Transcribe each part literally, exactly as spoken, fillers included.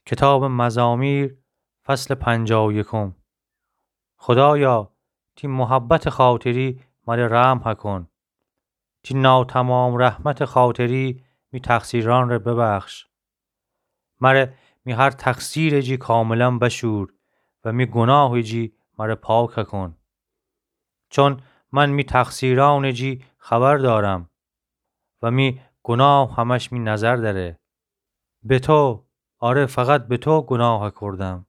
کتابٚ مزامیر، فصلٚ پنجاه و یکم. خودایا، تی محبتٚ خاطری مره رحم هکن. تی ناتمام رحمتٚ خاطری می تقصیرأنره ببخش. مره می هر تقصیرٚ جی کاملا بشور و می گناهٚ جی مره پاک هکن. چون من می تقصیرأنٚ جی خبر دارم و می گناه همش می نظر دأره. به تو، آره، فقط به تو گناه کردم.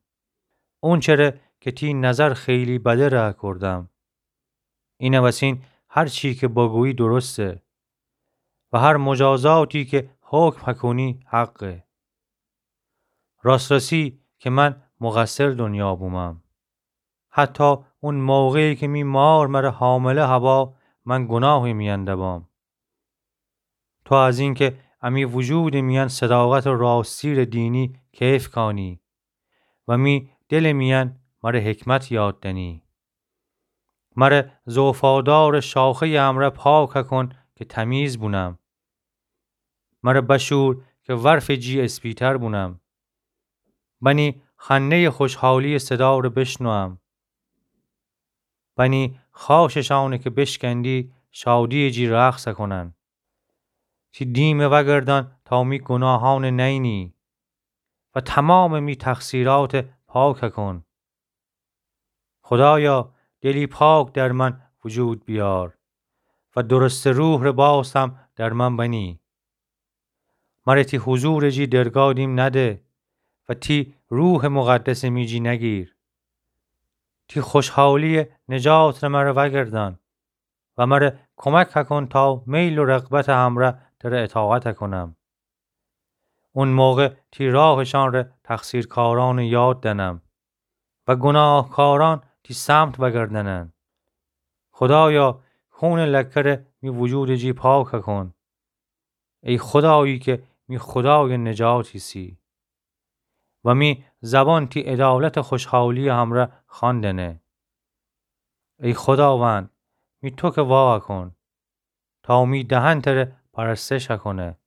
اونچره که تی نظر خیلی بده ره کردم. اینه وسین هر چی که بگویی درسته و هر مجازاتی که حکم هکنی حقه. راست‌رسی که من مقصر دنیا بومم. حتی اون موقعی که می مار مره حامله هوا، من گناهٚ میأن دبام. تو از اینکه امی وجودٚ میأن صداقتٚ راستی ره دینی کیف کانی و می دلٚ میأن مره حکمت یاد دنی. مره ز وفادارٚ شاخه‌یٚ امرأ پاک کن که تمیز بونم. مره بشور که ورفٚ جی اسپیتر بونم. بنی خنده‌یٚ خوشحالی‌یٚ صدا ره بشنوم. بنی خاشٚ شأنه که بشکندی شادی‌یٚ جی رقص کنن. تی دیمه وأگردان تا می گناهأنه نئینی و تمامٚ می تقصیرأته پاک کن. خودایا، دلی پاک در من وجود بیار و درستٚ روح ره باستم در من بنی. مره تی حضورٚ جی درگا دیم نده و تی روحٚ مقدسٚ می جی نگیر. تی خوشحالی‌یٚ نجات ره مره وأگردان و مره کمک کن تا میل و رغبتٚ همرأ تره اطاعت کنم. اون موقع تی راهٚ شأن ره تقصیرکارأنٚ یاد دنم و گناهکارأن تی سمت وأگردنن. خودایا، خونٚ لکه ره می وجودٚ جی پاک کن. ای خودایی که می خودایٚ نجات ایسی و می زبان تی عدالتٚ خوشحالی‌یٚ همرأ خواندنه. ای خوداوند، می توکه وا کن تا می دهن تره پرستش کنه.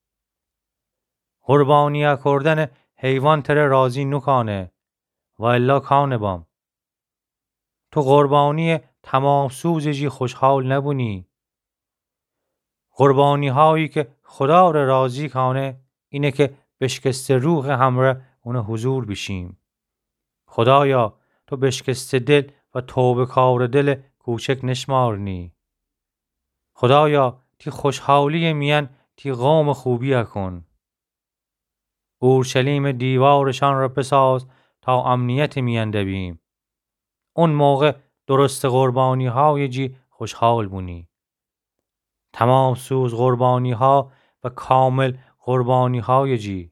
قربانی کردنٚ حیوان تره راضی نوکانه و الا کانه بام. تو قربانی‌یٚ تمام‌سوزٚ جی خوشحال نبونی. قربانی‌هایی که خودا ره راضی کانه، اینه که بشکسته روحٚ همرأ اونٚ حضور بیشیم. خودایا، تو بشکسته دل و توبه‌کارٚ دلٚ کوچک نشمارنی. خودایا، تی خوشحالی‌یٚ میأن تی قومٚ خوبی کن. اورشلیمٚ دیوارٚ شأن ره بساز تا امنیتٚ میأن دبیم. اون موقع درستٚ قربانی‌هایٚ جی خوشحال بونی. تمام‌سوز قربانی‌ها و کامل قربانی‌هایٚ جی.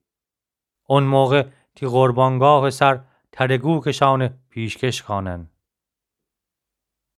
اون موقع تی قربانگاهٚ سر ترگوکٚ شأنه پیشکش کانن.